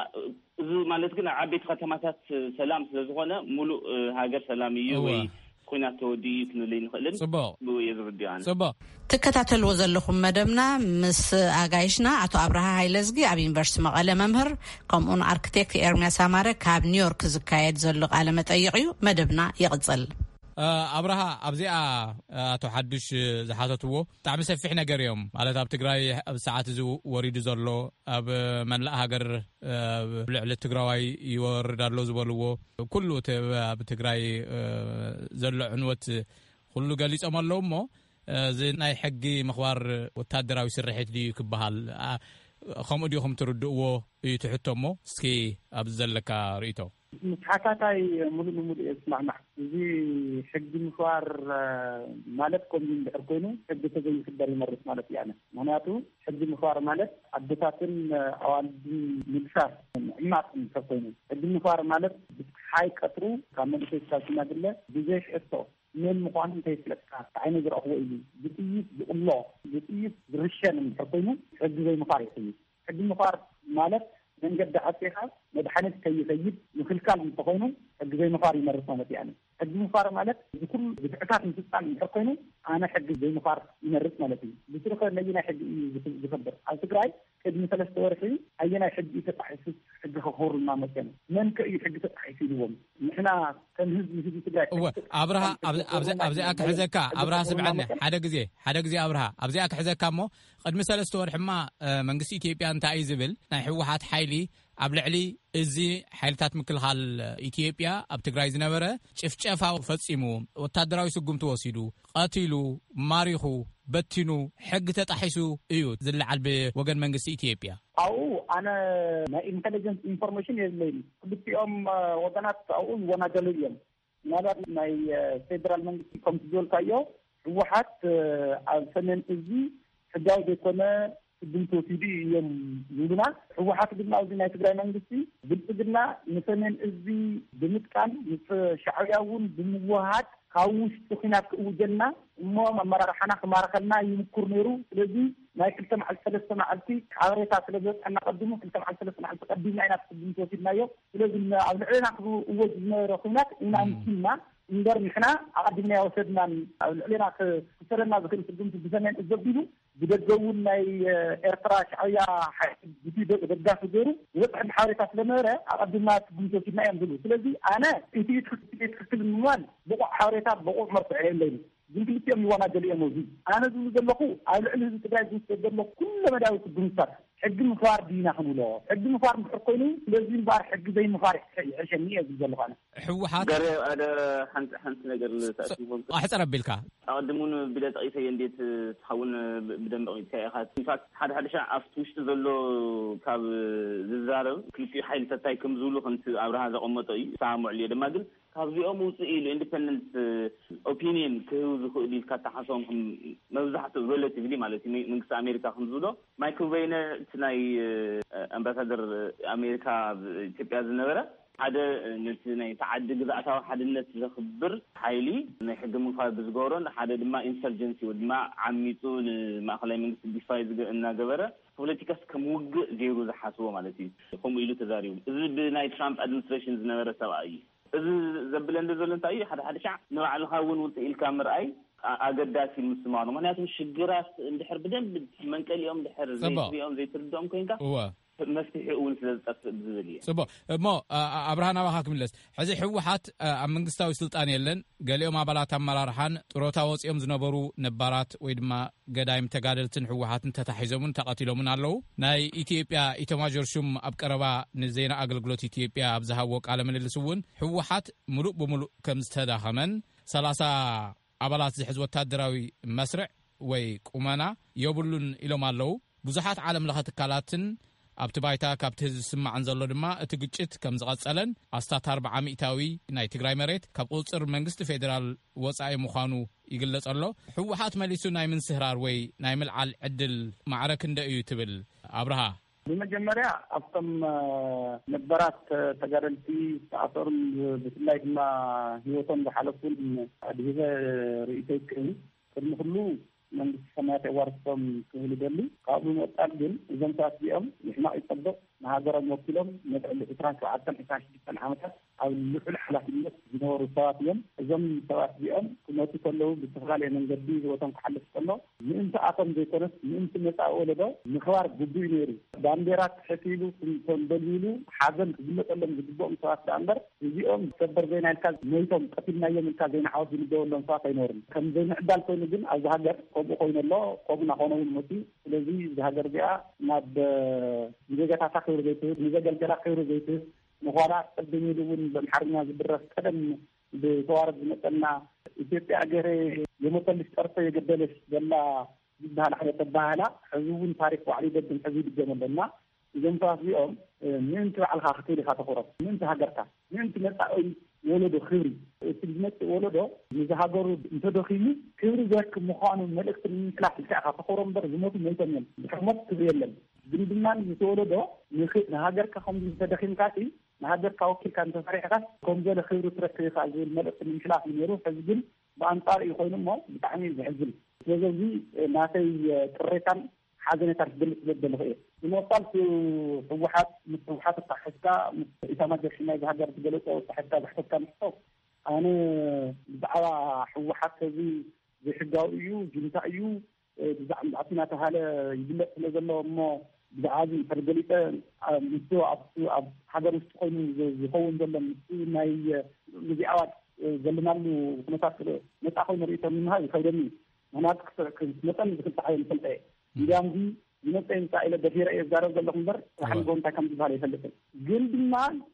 እዚ ማለት ግን ኣብ ዓበይቲ ከተማታት ሰላም ስለዝኾነ ሙሉእ ሃገር ሰላም እዩ ወይ ኩናት ተወዲኡ እዩ ክንብል ይንኽእልን ጽቡቕ ብኡ እየ ዝርድዮ ኣነ። ጽቡቕ። ትከታተልዎ ዘለኹም መደብና ምስ ኣጋይሽና ኣቶ ኣብርሃ ሃይለዝጊ ኣብ ዩኒቨርሲቲ መቐለ መምህር ከምኡን ኣርክቴክት ኤርሚያስ ኣማረ ካብ ኒውዮርክ ዝካየድ ዘሎ ቃለ መጠይቕ እዩ። መደብና ይቕጽል። ኣብርሃ ኣብዚኣ ኣቶ ሓዱሽ ዝሓተትዎ ብጣዕሚ ሰፊሕ ነገር እዮም ማለት ኣብ ትግራይ ኣብ ሰዓት እዚ ወሪዱ ዘሎ ኣብ መላእ ሃገር ልዕሊ ትግራዋይ ይወርድ ኣሎ ዝበልዎ ኩሉ ኣብ ትግራይ ዘሎ ዕንወት ኩሉ ገሊፆም ኣለዉ እሞ እዚ ናይ ሕጊ ምኽባር ወታደራዊ ስርሒት ድዩ ክበሃል ከምኡ ዲኹም ትርድእዎ እዩ ትሕቶ እሞ እስኪ ኣብዚ ዘለካ ርእቶ። ምስ ሓታታይ ሙሉእ ንሙሉእ እየ ዝስማዕማዕ። እዚ ሕጊ ምኽባር ማለት ከምዚ እንድሕር ኮይኑ ሕጊ ተዘይኽበር ይመርስ ማለት እየ ኣነ። ምክንያቱ ሕጊ ምኽባር ማለት ኣቦታትን ኣዋልድን ምግሳስ ምዕማፅ እንድሕር ኮይኑ ሕጊ ምኽባር ማለት ብፀሓይ ቀትሩ ካብ መንእሰይ ክሳብ ሽማግለ ብዘይ ሕቶ መን ምዃኑ እንተይፍለጥካ እንታይ ነው ዝረእኽዎ ኢሉ ብጥይት ብቕሎ ብጥይት ዝርሸን እንድሕር ኮይኑ ሕጊ ዘይምኽባር ይኽይድ። ሕጊ ምኽባር ማለት መንገዲ ዓፂኻ መድሓኒት ከይኸይድ ምክልካል እንተኾይኑ ሕጊ ዘይምኽባር ይመርስ ማለት እያ። ሕጊ ምኽባር ማለት እዚ ኩሉ ግፍዕታት ምፍፃም እንድሕር ኮይኑ ኣነ ሕጊ ዘይምኽባር ይመርስ ማለት እዩ። ብስሩ ከ ነየናይ ሕጊ እዩ ዝኽብር? ኣብ ትግራይ ቅድሚ ሰለስተ ወርሒ ናይ ሕጊ እዩ ተጣሒሱ፣ ሕጊ ከኽብሩልና መፅኦም። መን ከ እዩ ሕጊ ተጣሒሱ ኢልዎም? ንሕና ከም ህዝቢ፣ ህዝቢ ትግራይ እወ፣ ሕጊ ተጣሒሱ ኣብርሃ፣ ኣብ-፣ ኣብዚ-፣ ኣብዚኣ ክሕዘካ፣ ኣብርሃ ስምዐኒ፣ ሓደ ግዜ፣ ሓደ ግዜ ኣብርሃ፣ ኣብዚኣ ክሕዘካ እሞ፣ ቅድሚ ሰለስተ ወርሕማ፣ እ፣ መንግስቲ ኢትዮጵያ እንታይ እዩ ዝብል? ናይ ህወሓት ሓይሊ ኣብ ልዕሊ እዚ ሓይልታት ምክልኻል ኢትዮጵያ ኣብ ትግራይ ዝነበረ ጭፍጨፋ ፈጺሙ፣ ወታደራዊ ስጉምቲ ወሲዱ፣ ቀቲሉ፣ ማሪኹ፣ በቲኑ፣ ሕጊ ተጣሒሱ እዩ ዝለዓል ብወገን መንግስቲ ኢትዮጵያ። ኣብኡ ኣነ ናይ ኢንተለጀንስ ኢንፎርሜሽን የብለይን። ክልቲኦም፣ እ፣ ወገናት ኣብኡ ይወናጀሉ እዮም። ምናልባት ናይ፣ እ፣ ፌደራል መንግስቲ ከምቲ ዝበልካዮ ህወሓት፣ እ፣ ኣብ ሰሜን እዚ ሕጋዊ ዘይኮነ ስጉምቲ ወሲዱ እዩ እዮም ዝብሉና። ህወሓት ድማ ኣብዚ ናይ ትግራይ መንግስቲ ብልጽግና ንሰሜን እዚ ብምጥቃም ምስ ሻዕብያ እውን ብምውሃድ ካብ ውሽጢ ኲናት ክእውጀልና እሞ ኣመራርሓና ክማርኸልና ይምኩር ነይሩ። ስለዚ ናይ ክልተ መዓልቲ ሰለስተ መዓልቲ ሓበሬታ ስለ ዝበፅሐና ቀዲሙ ክልተ መዓልቲ ሰለስተ መዓልቲ ቀዲምና ኢና ስጉምቲ ወሲድናዮ። ስለዚ ን-፣ ኣብ ልዕሌና ክእወጅ ዝነበረ ኲናት ኢና እም። ኣምኪንና እምበር ንሕና ኣቐዲምና ኣይወሰድናን። ኣብ ልዕሌና ክ-፣ ክሰደና ዝኽእል ስጉምቲ ብሰሜን እዚ ዘቢሉ ብደገ እውን ናይ፣ እ፣ ኤርትራ ሻዕብያ ሓይሊ ብቲ ደ-፣ ደጋፊ ገይሩ ዝበፅሐ ሓበሬታ ስለነበረ ኣቐዲምና ስጉምቲ ወሲድና እዮም ዝብሉ። ስለዚ ኣነ እቲ ትኽክል፣ እቲ ትኽክል ንምባል ብቑዕ ሓበሬታ ብቑዕ መርትዖ የለይን። ግን ክልቲኦም ይወናጀሉ እዮም። እዚ ኣነ ዝብሉ ዘለኹ ኣብ ልዕሊ ህዝቢ ትግራይ ዝውሰድ ዘሎ ኩለ መዳያዊ ስጉምትታት ሕጊ ምኽባር ድዩና ክንብሎ? ሕጊ ምኽባር እንድሕር ኮይኑ ስለዚ እምበኣር ሕጊ ዘይምኽባር ይሕ-፣ ይሕሸኒ እየ ዝብል ዘለኹ ኣነ። ህወሓት ገረ ኣደ ሓንቲ፣ ሓንቲ ነገር ንተኣሲቦም ኣሕፅር ኣቢልካ። ኣቐድሙን ብለ ጠቒሰዮ እንዴት ትኸውን ብ-፣ ብደንብ ኣቕሚጥካ ኢኻ። ኢንፋክት ሓደ ሓደ ሻዕ ኣብቲ ውሽጢ ዘሎ ካብ ዝዛረብ ክልቲኡ ሓይልታት እንታይ ከም ዝብሉ ከምቲ ኣብርሃ ዘቐመጦ እዩ። ይሰማምዑሉ እየ ድማ ግን ካብዚኦም ውፅእ ኢሉ ኢንዲፐንደንት ኦፒኒየን ክህብ ዝኽእል ኢልካ ተሓስቦም ከም መብዛሕትኡ ሬላቲቭሊ ማለት እዩ መንግስቲ ኣሜሪካ ከም ዝብሎ ማይክል ሬይነር እቲ ናይ ኣምባሳደር ኣሜሪካ ኣብ ኢትዮጵያ ዝነበረ ሓደ ነቲ ናይ ተዓዲ ግዝኣታዊ ሓድነት ዘኽብር ሓይሊ ናይ ሕጊ ምኽባር ብዝገበሮን ሓደ ድማ ኢንሰርጀንሲ ወይ ድማ ዓሚፁ ንማእኸላይ መንግስቲ ዲፋይ ዝገ-፣ እናገበረ ፖለቲካስ ከም ውግእ ገይሩ ዝሓስቦ ማለት እዩ። ከምኡ ኢሉ ተዛሪቡ። እዚ ብናይ ትራምፕ ኣድሚኒስትሬሽን ዝነበረ ሰብኣይ እዩ። እዚ ዘብለኒ ዘሎ እንታይ እዩ? ሓደ ሓደ ሻዕ ንባዕልኻ እውን ውፅእ ኢልካ ምርኣይ ኣ-፣ ኣገዳሲ እዩ ምስማኑ። ምኽንያቱም ሽግራት እንድሕር ብደንብ መንቀሊኦም እንድሕር ጽቡቕ። ዘይትሪኦም ዘይትርድኦም ኮይንካ እወ። መፍትሒ እውን ስለ ዝጠፍእ ብዝብል እየ። ጽቡቕ። እሞ፣ ኣ-፣ ኣ-፣ ኣብርሃ ናባኻ ክምለስ። ሕዚ ህወሓት፣ ኣ-፣ ኣብ መንግስታዊ ስልጣን የለን። ገሊኦም ኣባላት ኣመራርሓን ጥሮታ ወፂኦም ዝነበሩ ነባራት ወይ ድማ ገዳይም ተጋደልትን ህወሓትን ተታሒዞምን ተቐቲሎምን ኣለዉ። ናይ ኢትዮጵያ ኢተማዦር ሹም ኣብ ቀረባ ንዜና ኣገልግሎት ኢትዮጵያ ኣብ ዝሃብዎ ቃለ ምልልስ እውን ህወሓት ምሉእ ብምሉእ ከም ዝተዳኸመን ሰላሳ ኣባላት ዝሕዝ ወታደራዊ መስርዕ ወይ ቁመና የብሉን ኢሎም ኣለዉ። ብዙሓት ዓለም ለኸ ትካላትን ኣብቲ ባይታ ካብቲ ህዝቢ ዝስማዕን ዘሎ ድማ እቲ ግጭት ከም ዝቐጸለን ኣስታት ኣርብዓ ሚእታዊ ናይ ትግራይ መሬት ካብ ቁጽጽር መንግስቲ ፌዴራል ወጻኢ ምዃኑ ይግለጽ ኣሎ። ህወሓት መሊሱ ናይ ምንስህራር ወይ ናይ ምልዓል ዕድል ማዕረ ክንደይ እዩ ትብል ኣብርሃ? ብመጀመርያ ኣብቶም፣ እ፣ ነባራት ተጋደልቲ ዝተኣሰሩን ብፍላይ ድማ ህይወቶም ዝሓለፉን ኣድሂበ ርእይቶይ ክህብ ቅድሚ ኩሉ መንግስቲ ሰማያት የዋርስቶም ክብል ይደሊ። ካብኡ ብምቕጻል ግን እዞም ሰባት እዚኦም ምሕማቕ ይጸብቕ ንሃገሮም ወኪሎም ነቲ ዕሊ ዕስራን ሸውዓተን ዕስራን ሽዱሽተን ዓመታት ኣብ ልዑል ሓላፍነት ዝነበሩ ሰባት እዮም። እዞም ሰባት እዚኦም ክመቱ ከለዉ ብዝተፈላለየ መንገዲ ህይወቶም ክሓልፍ ከሎ ምእንቲ ኣቶም ዘይኮነስ ምእንቲ መጻኢ ወለዶ ምኽባር ግቡእ ነይሩ። ባንዴራ ትሕት ኢሉ ተንበልቢሉ ሓዘን ክግለጸሎም ዝግብኦም ሰባት ደኣ እምበር እዚኦም ሰበር ዜና ኢልካ ሞይቶም ቀቲልናዮም ኢልካ ዜና ዓወት ዝንገበሎም ሰባት ኣይነበሩን። ከም ዘይምዕዳል ኮይኑ ግን ኣብዚ ሃገር ከምኡ ኮይኑ ኣሎ፣ ከምኡ እናኾነ እውን መፅዩ። ስለዚ እዚ ሃገር እዚኣ ናብ፣ እ፣ ንዜጋታታ ክብሪ ዘይትህብ፣ ንዘገልገላ ክብሪ ዘይትህብ፣ ንዃላ ቅድም ኢሉ እውን ብኣምሓርኛ ዝድረፍ ቀደም ብተዋረድ ዝመፀና ኢትዮጵያ እገሬ የሞተልሽ ጠርቶ የገደለሽ ዘላ ዝበሃል ዓይነት ኣበሃህላ ሕዚ እውን ታሪክ ባዕሉ ይደግም፣ ሕዚ ይድገም ኣሎ እና እዞም ሰባት እዚኦም፣ እ፣ ምእንቲ ባዕልኻ ክትብል ኢኻ ተኹሮም፣ ምእንቲ ሃገርካ፣ ምእንቲ መጻኢ ወለዶ ክብሪ፣ እቲ ዝመጽእ ወለዶ ንዝሃገሩ እንተደኺሙ ክብሪ ዘርክብ ምዃኑ መልእኽቲ ንምሕላፍ ኢልካ ኢኻ ተኹሮም እምበር ዝሞቱ ሞይቶም እዮም። ድሕሪ ሞት ክብሪ የለን። ግን ድማ ዝተወለዶ ንኽ-፣ ንሃገርካ ከም እንተደኺምካ ሲ ንሃገርካ ወኪልካ እንተሰሪሕካስ ከም ገለ ክብሪ ትረክብ ኢኻ ዝብል መልእኽቲ ንምሕላፍ እዩ ነይሩ። ሕዚ ግን ብኣንጻሩ እዩ ኮይኑ እሞ ብጣዕሚ እዩ ዘሕዝን። ስለዚ እዚ ናተይ ቅሬታን ሓዘኔታን ክገልጽ ዘደለኹ እየ። ብምቕጻል ህወሓት፣ ምስ ህወሓት ኣተሓሒዝካ፣ ምስ ኢታማጆር ሹም ናይዚ ሃገር ዝገለጾ ኣተሓሒዝካ ዘሕተትካኒ ሕቶ፣ ኣነ ብዛዕባ ህወሓት እዚ ዘይሕጋዊ እዩ፣ ጁንታ እዩ፣ እ፣ ብዛዕባ ናተይ እናተባሃለ ይግለጽ ስለ ዘሎ እሞ ብዛዕባ እዚ እንድሕር ገሊጸ፣ ኣብ፣ ምስቲ ኣብ፣ ኣብ ሃገር ውሽጢ ኮይኑ ዝ-፣ ዝኸውን ዘሎ ምስቲ ናይ፣ እ፣ እዚ ኣዋጅ፣ እ፣ ዘለናሉ ኩነታት ነጻ ኮይኑ ርእይቶ ምሃብ ይኸብደኒ እዩ። ምኽንያቱ ክስ-፣ ክስ-፣ መጠን ዝክልተ ሓይል ይፈልጠ እየ። እንዲያም እዚ ይመጸ ይምጻእ ኢለ ደፊረ እየ ዝዛረብ ዘለኹ እምበር፣ ጽባሕ እወ። ንግሆ እንታይ ከም ዝበሃል ኣይፈልጥን። ግን ድማ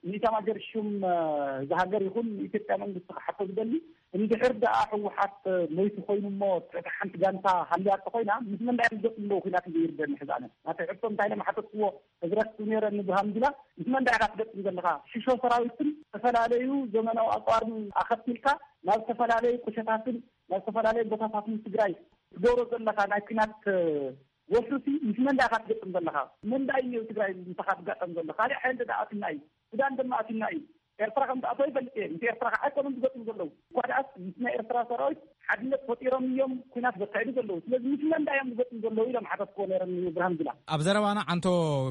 ንኢታማጆር ሹም፣ እ፣ እዚ ሃገር ይኹን ንኢትዮጵያ መንግስቲ ክሓቶ ዝደሊ፣ እንድሕር ደኣ ህወሓት ሞይቱ ኮይኑ እሞ ትሕቲ ሓንቲ ጋንታ ሃልያቶ ኮይና፣ ምስ መን ደኣ እዮም ዝገጥሙ ኣለዉ? ኩናት እዩ ይርደኒ ሕዚ ኣነ። ናተይ ሕቶ እንታይ ኢለ ምሓተትክዎ፣ ተዝረክብ ነይረ ንብርሃኑ ጁላ፣ ምስ መን ደኣ ኢኻ ትገጥም ዘለኻ? ሽሾ ሰራዊትን ዝተፈላለዩ ዘመናዊ ኣጽዋርን ኣኸቲልካ ናብ ዝተፈላለዩ ቁሸታትን ናብ ዝተፈላለዩ ቦታታትን ትግራይ ትገብሮ ዘለኻ ናይ ኩናት ወፍርሲ፣ ምስ መን ደኣ ኢኻ ትገጥም ዘለኻ? መን ደኣ እዩ ትግራይ ምሳኻ ትጋጠም ዘሎ? ካልእ ሓይሊ ደኣ ኣትና እዩ። ሱዳን ድማ ኣትና እዩ። ኤርትራ ከም ትኣትዎ ይፈልጥ እየ። ምስ ኤርትራ ከዓ ኣይኮኑን ዝገጥሙ ዘለዉ። እኳ ደኣስ ምስ ናይ ኤርትራ ሰራዊት ሓድነት ፈጢሮም እዮም ኩናት ዘካይዱ ዘለዉ። ስለዚ ምስ መን ደኣ እዮም ዝገጥሙ ዘለዉ ኢሎም ሓተትክዎ ነይሮም ንብርሃኑ ጁላ። ኣብ ዘረባና ዓንቶ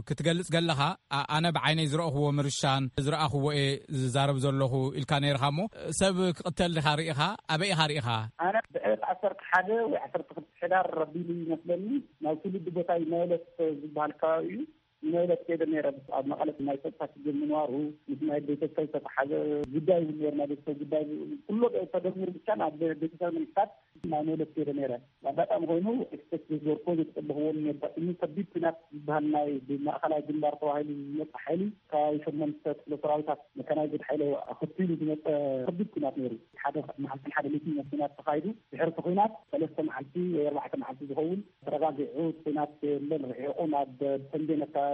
ክትገልጽ ገለኻ፣ ኣ-፣ ኣነ ብዓይነይ ዝረእኽዎ ምርሻን ዝረኣኽዎ እየ ዝዛረብ ዘለኹ ኢልካ ነይርኻ እሞ፣ ሰብ ክቕተል ዲኻ ርኢኻ? ኣበይ ኢኻ ርኢኻ? ኣነ ብዕለት ዓሰርተ ሓደ ወይ ዓሰርተ ክልተ ሕዳር ረቢሉ ይመስለኒ፣ ናብ ትውልዲ ቦታይ መበለት ዝበሃል ከባቢ እዩ። ንመበለት ከይደ ነይረ። ኣብ መቐለ ናይ ጸጥታ ሽግር ምንባሩ፣ ምስ ናይ ቤተሰብ ዝተተሓዘ ጉዳይ እውን ነይሩ። ናይ ቤተሰብ ጉዳይ ኩሎ ተደሚሩ ብቻ ናብ ቤተሰብ ምንቅስቃስ ናይ መበለት ከይደ ነይረ። ኣጋጣሚ ኮይኑ ኤክስፐርት ዝገርኮ ዝጠበኽዎ ነጋጥሙ ከቢድ ኩናት ዝበሃል ናይ ብማእኸላይ ግንባር ተባሂሉ ዝመፀ ሓይሊ ከባቢ ሸሞንተ ክፍለ ሰራዊታት መካናይዝድ ሓይሊ ኣኸቲሉ ዝመፀ ከቢድ ኩናት ነይሩ። ሓደ መዓልትን ሓደ ሌትን ኩናት ተኻይዱ። ድሕሪ እቲ ኩናት ሰለስተ መዓልቲ ወይ ኣርባዕተ መዓልቲ ዝኸውን ተረጋጊዑ፣ እቲ ኩናት የለን፣ ርሒቑ ናብ ተንቤን ኣካባቢ፣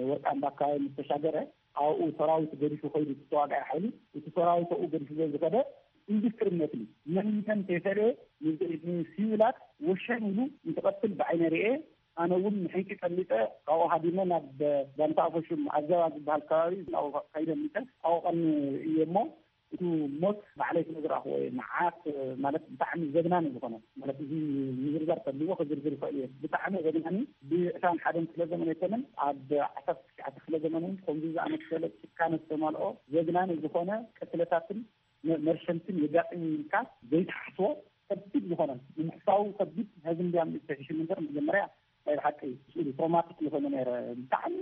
ወርቃምባ ኣካባቢ ምስ ተሻገረ፣ ኣብኡ ሰራዊት ገዲፉ ከይዱ፣ እቲ ተዋጋኢ ሓይሊ፣ እቲ ሰራዊት ኣብኡ ገዲፉ ዝኸደ ኢንዱስትሪ መትሊ መን መን ከይፈለየ ንዚ-፣ ንሲቪላት ወሸን ኢሉ እንትቐትል ብዓይነ ርኤ። ኣነ እውን ንሕንቂ ቀሊጠ፣ ካብኡ ሃዲመ ናብ ጋንታ ኣፈሹም ኣዘባ ዝበሃል ከባቢ ናብኡ ከይደ ሚጠ ኣብኡ ቀኒ እየ እሞ፣ እቲ ሞት ባዕለይ ስለ ዝረኣኽዎ እየ። መዓት ማለት ብጣዕሚ ዘግናኒ ዝኾነ፣ ማለት እዚ ምዝርዛር ከድልዎ ክዝርዝር ይኽእል እየ። ብጣዕሚ ዘግናኒ፣ ብዕስራን ሓደን ክፍለ ዘመን ኣይኮነን፣ ኣብ ዓሰርተ ትሽዓተ ክፍለ ዘመን እውን ከምዚ ዝኣመሰለ ጭካነ ዝተመልኦ ዘግናኒ ዝኾነ ቅትለታትን መ-፣ መርሸንትን የጋጥም ኢልካ ዘይትሓስቦ ከቢድ ዝኾነ ንምሕሳቡ ከቢድ፣ ሕዚ እንዲያም ዝተሽሽም እምበር መጀመርያ ናይ ብሓቂ ስእሉ ትሮማቲክ ዝኾነ ነይረ። ብጣዕሚ፣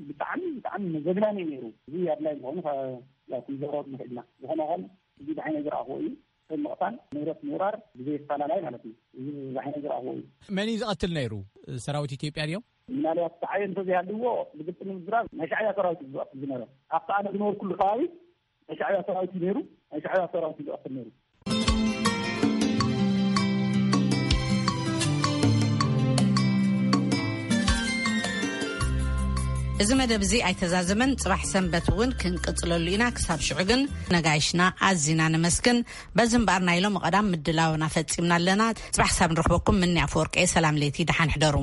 ብጣዕሚ፣ ብጣዕሚ ዘግናኒ እዩ ነይሩ። እዚ ኣድላይ ምዃኑ ከ-፣ ያው ክንዛረብ ንኽእል ኢና። ዝኾነ ይኹን እዚ ብዓይነ ዝረኣኽዎ እዩ። ሰብ ምቕታል፣ ንብረት ምውራር ብዘይ ኣፈላላይ ማለት እዩ። እዚ ብዓይነ ዝረኣኽዎ እዩ። መን እዩ ዝቐትል ነይሩ? ሰራዊት ኢትዮጵያ ድዮም? ምናልባት ሰዓቢ እንተዘይሃልዎ ብግልፂ ንምዝራብ ናይ ሻዕብያ ሰራዊት እዩ ዝቐትል ዝነበረ። ኣብቲ ኣነ ዝነበርኩሉ ከባቢ ናይ ሻዕብያ ሰራዊት እዩ ነይሩ። ናይ ሻዕብያ ሰራዊት እዩ ዝቐትል ነይሩ። እዚ መደብ እዚ ኣይተዛዘመን። ጽባሕ ሰንበት እውን ክንቅጽለሉ ኢና። ክሳብ ሽዑ ግን ነጋይሽና ኣዚና ነመስግን። በዚ እምበኣር ናይ ሎሚ ቀዳም ምድላውና ፈጺምና ኣለና። ጽባሕ ክሳብ ንረኽበኩም ምኒ ኣፈወርቂ፣ ሰላም ለይቲ፣ ደሓን ሕደሩ።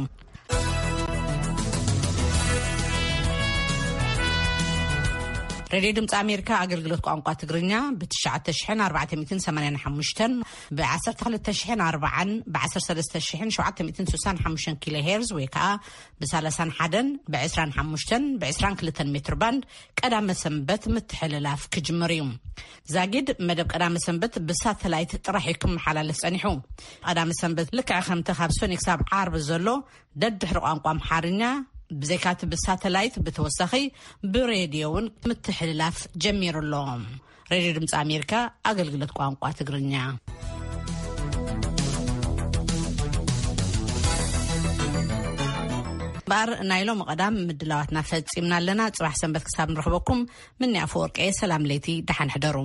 ሬድዮ ድምፂ ኣሜሪካ ኣገልግሎት ቋንቋ ትግርኛ ብ ትሽዓተ ሽሕን ኣርባዕተ ሚእትን ሰማንያን ሓሙሽተን፣ ብ ዓሰርተ ክልተ ሽሕን ኣርባዓን፣ ብ ዓሰርተ ሰለስተ ሽሕን ሸውዓተ ሚእትን ስሳን ሓሙሽተን ኪሎ ሄርዝ ወይ ከዓ ብ ሰላሳን ሓደን፣ ብ ዕስራን ሓሙሽተን፣ ብ ዕስራን ክልተን ሜትር ባንድ ቀዳመ ሰንበት ምትሕልላፍ ክጅምር እዩ። ዛጊድ መደብ ቀዳመ ሰንበት ብሳተላይት ጥራሕ እዩ ክመሓላለፍ ጸኒሑ። ቀዳመ ሰንበት ልክዕ ከምቲ ካብ ሰኑይ ክሳብ ዓርቢ ዘሎ ደድሕሪ ቋንቋ ኣምሓርኛ ብዘይካቲ ብሳተላይት ብተወሳኺ ብሬድዮ እውን ምትሕልላፍ ጀሚሩ ኣሎ። ሬድዮ ድምፂ ኣሜሪካ ኣገልግሎት ቋንቋ ትግርኛ። እምበኣር ናይ ሎሚ ቀዳም ምድላዋትና ፈጺምና ኣለና። ጽባሕ ሰንበት ክሳብ ንረኽበኩም ምኒ ኣፈወርቂ፣ ሰላም ለይቲ፣ ደሓን ሕደሩ።